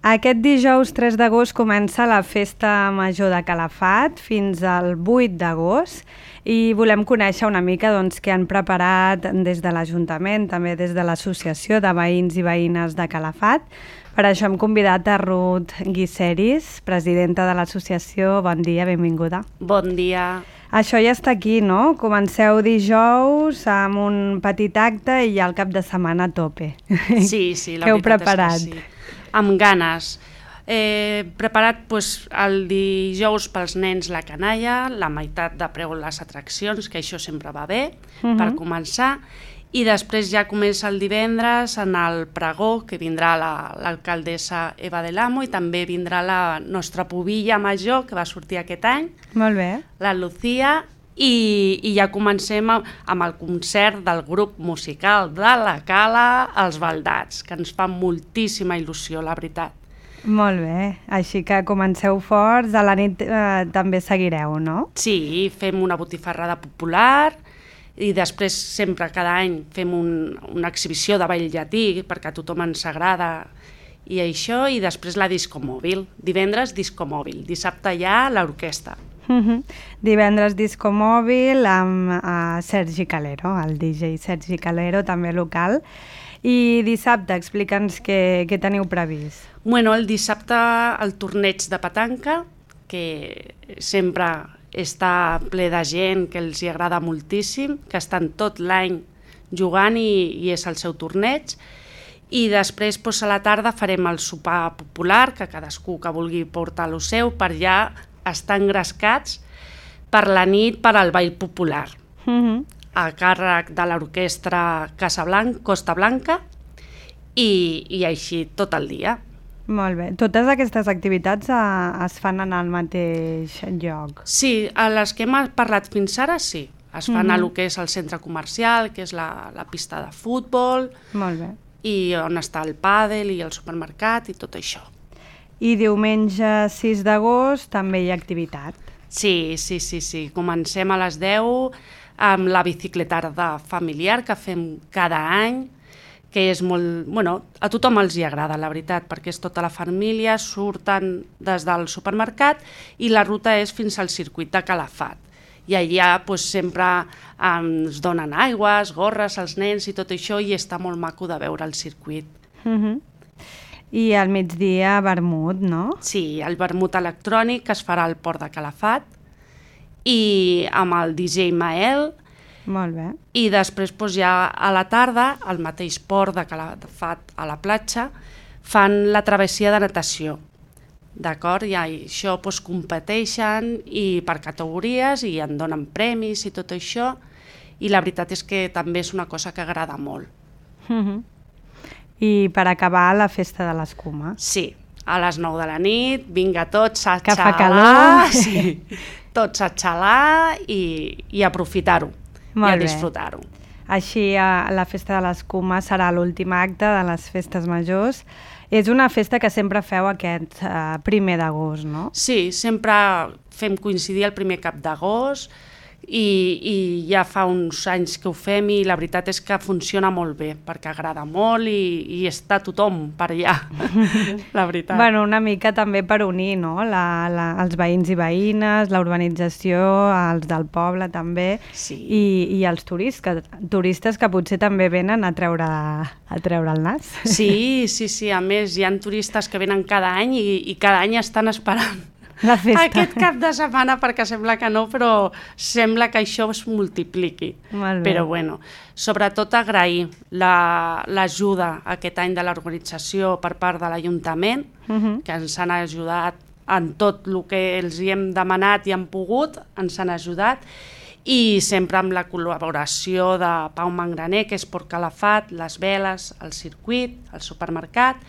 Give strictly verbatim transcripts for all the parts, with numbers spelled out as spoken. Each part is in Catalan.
Aquest dijous tres d'agost comença la Festa Major de Calafat fins al vuit d'agost i volem conèixer una mica doncs, què han preparat des de l'Ajuntament, també des de l'Associació de Veïns i Veïnes de Calafat. Per això hem convidat a Ruth Guiseris, presidenta de l'associació. Bon dia, benvinguda. Bon dia. Això ja està aquí, no? Comenceu dijous amb un petit acte i ja el cap de setmana a tope. Sí, sí, la Què heu veritat preparat? és que sí. Amb ganes. He preparat pues, el dijous pels nens la canalla, la meitat de preu les atraccions, que això sempre va bé, uh-huh. per començar, i després ja comença el divendres en el pregó, que vindrà l'alcaldessa la, Eva del Amo, i també vindrà la nostra pubilla major, que va sortir aquest any, Molt bé. la Lucía, i, i ja comencem amb el concert del grup musical de la Cala, Els Baldats, que ens fa moltíssima il·lusió, la veritat. Molt bé, així que comenceu forts, a la nit eh, també seguireu, no? Sí, fem una botifarrada popular i després sempre cada any fem un, una exhibició de ball llatí perquè a tothom ens agrada i això, i després la disco mòbil. Divendres disco mòbil, dissabte ja l'orquestra. Uh-huh. Divendres disco mòbil amb uh, Sergi Calero, el D J Sergi Calero, també local. I dissabte, explica'ns què, què teniu previst. Bueno, el dissabte el torneig de petanca, que sempre està ple de gent que els hi agrada moltíssim, que estan tot l'any jugant i, i és el seu torneig. I després doncs, a la tarda farem el sopar popular, que cadascú que vulgui portar lo seu, per ja estar engrescats per la nit per al ball popular. Uh-huh. A càrrec de l'orquestra Casablanca, Costa Blanca, i, i així tot el dia. Molt bé. Totes aquestes activitats eh, es fan en el mateix lloc? Sí, a les que hem parlat fins ara, sí. Es fan Mhm. a lo que és el centre comercial, que és la, la pista de futbol, Molt bé. i on està el pàdel i el supermercat i tot això. I diumenge sis d'agost també hi ha activitat? Sí, sí, sí, sí. Comencem a les deu amb la bicicletada familiar que fem cada any, que és molt... Bueno, a tothom els hi agrada, la veritat, perquè és tota la família, surten des del supermercat i la ruta és fins al circuit de Calafat. I allà doncs, sempre ens donen aigües, gorres als nens i tot això, i està molt maco de veure el circuit. Uh-huh. I al migdia vermut, no? Sí, el vermut electrònic que es farà al port de Calafat i amb el D J Mael. Molt bé. I després doncs, ja a la tarda, al mateix port de Calafat a la platja, fan la travessia de natació. D'acord? I això doncs, competeixen i per categories i en donen premis i tot això. I la veritat és que també és una cosa que agrada molt. Uh-huh. I per acabar, la festa de l'escuma. Sí, a les nou de la nit, vinga tots a Que fa xalar, calor. sí, tots a xalar i, i aprofitar-ho i a bé. disfrutar-ho. Així, a la festa de l'escuma serà l'últim acte de les festes majors. És una festa que sempre feu aquest uh, primer d'agost, no? Sí, sempre fem coincidir el primer cap d'agost i, i ja fa uns anys que ho fem i la veritat és que funciona molt bé perquè agrada molt i, i està tothom per allà, la veritat. Bueno, una mica també per unir, no? La, la, els veïns i veïnes, la urbanització, els del poble també, Sí. i, i els turistes, que, turistes que potser també venen a treure, a treure el nas. Sí, sí, sí, a més hi ha turistes que venen cada any i, i cada any estan esperant La festa. aquest cap de setmana perquè sembla que no, però sembla que això es multipliqui. Molt bé. Però bueno, sobretot agrair l'ajuda la, aquest any de l'organització per part de l'Ajuntament, Uh-huh. que ens han ajudat en tot el que els hi hem demanat i han pogut, ens han ajudat, i sempre amb la col·laboració de Pau Mangraner, que és Port Calafat, les veles, el circuit, el supermercat,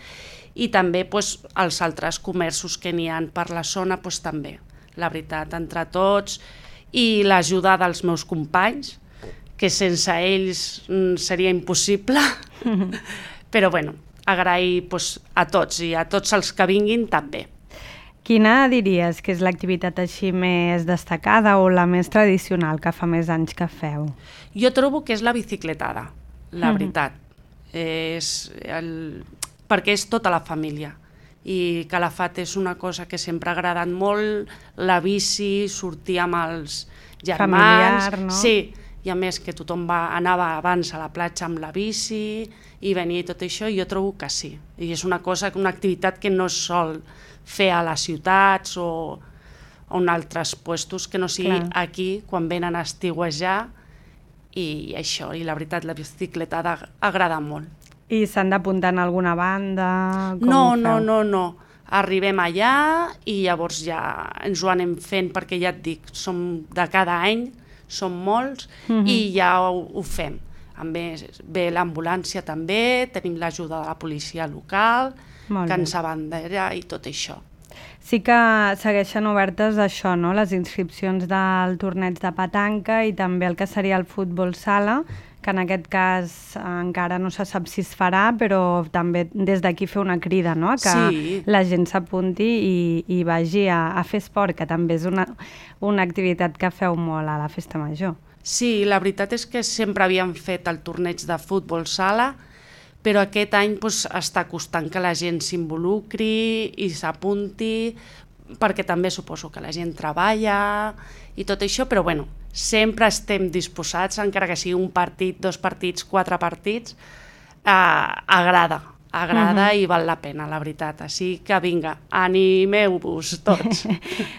i també doncs, els altres comerços que n'hi ha per la zona, doncs, també, la veritat, entre tots, i l'ajuda dels meus companys, que sense ells seria impossible, però bueno, agrair doncs, a tots i a tots els que vinguin també. Quina diries que és l'activitat així més destacada o la més tradicional que fa més anys que feu? Jo trobo que és la bicicletada, la Mhm. veritat. És el... perquè és tota la família i Calafat és una cosa que sempre ha agradat molt, la bici, sortir amb els germans... Familiar, no? Sí, i a més que tothom va, anava abans a la platja amb la bici i venia tot això, i jo trobo que sí. I és una cosa, una activitat que no es sol fer a les ciutats o en altres puestos que no sigui Clar. aquí, quan venen a estiuejar, i això, i la veritat, la bicicleta agrada molt. I s'han d'apuntar en alguna banda? Com No, ho feu? no, no, no. Arribem allà i llavors ja ens ho anem fent, perquè ja et dic, som de cada any, som molts, Mhm. i ja ho, ho fem. A més, ve l'ambulància també, tenim l'ajuda de la policia local, Molt que bé. ens abandera i tot això. Sí que segueixen obertes això, no? Les inscripcions del torneig de petanca i també el que seria el futbol sala, que en aquest cas eh, encara no se sap si es farà, però també des d'aquí fer una crida, no? Que Sí. la gent s'apunti i, i vagi a, a fer esport, que també és una, una activitat que feu molt a la festa major. Sí, la veritat és que sempre havíem fet el torneig de futbol sala, però aquest any doncs, està costant que la gent s'involucri i s'apunti, perquè també suposo que la gent treballa i tot això, però bueno, sempre estem disposats, encara que sigui un partit, dos partits, quatre partits, eh, agrada, agrada Mhm. i val la pena, la veritat. Així que vinga, animeu-vos tots.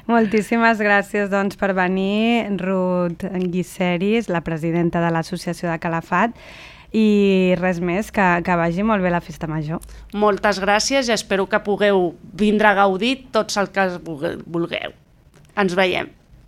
Moltíssimes gràcies doncs, per venir, Ruth Guiseris, la presidenta de l'Associació de Calafat, i res més, que, que vagi molt bé la festa major. Moltes gràcies i espero que pugueu vindre a gaudir tots els que vulgueu. Ens veiem.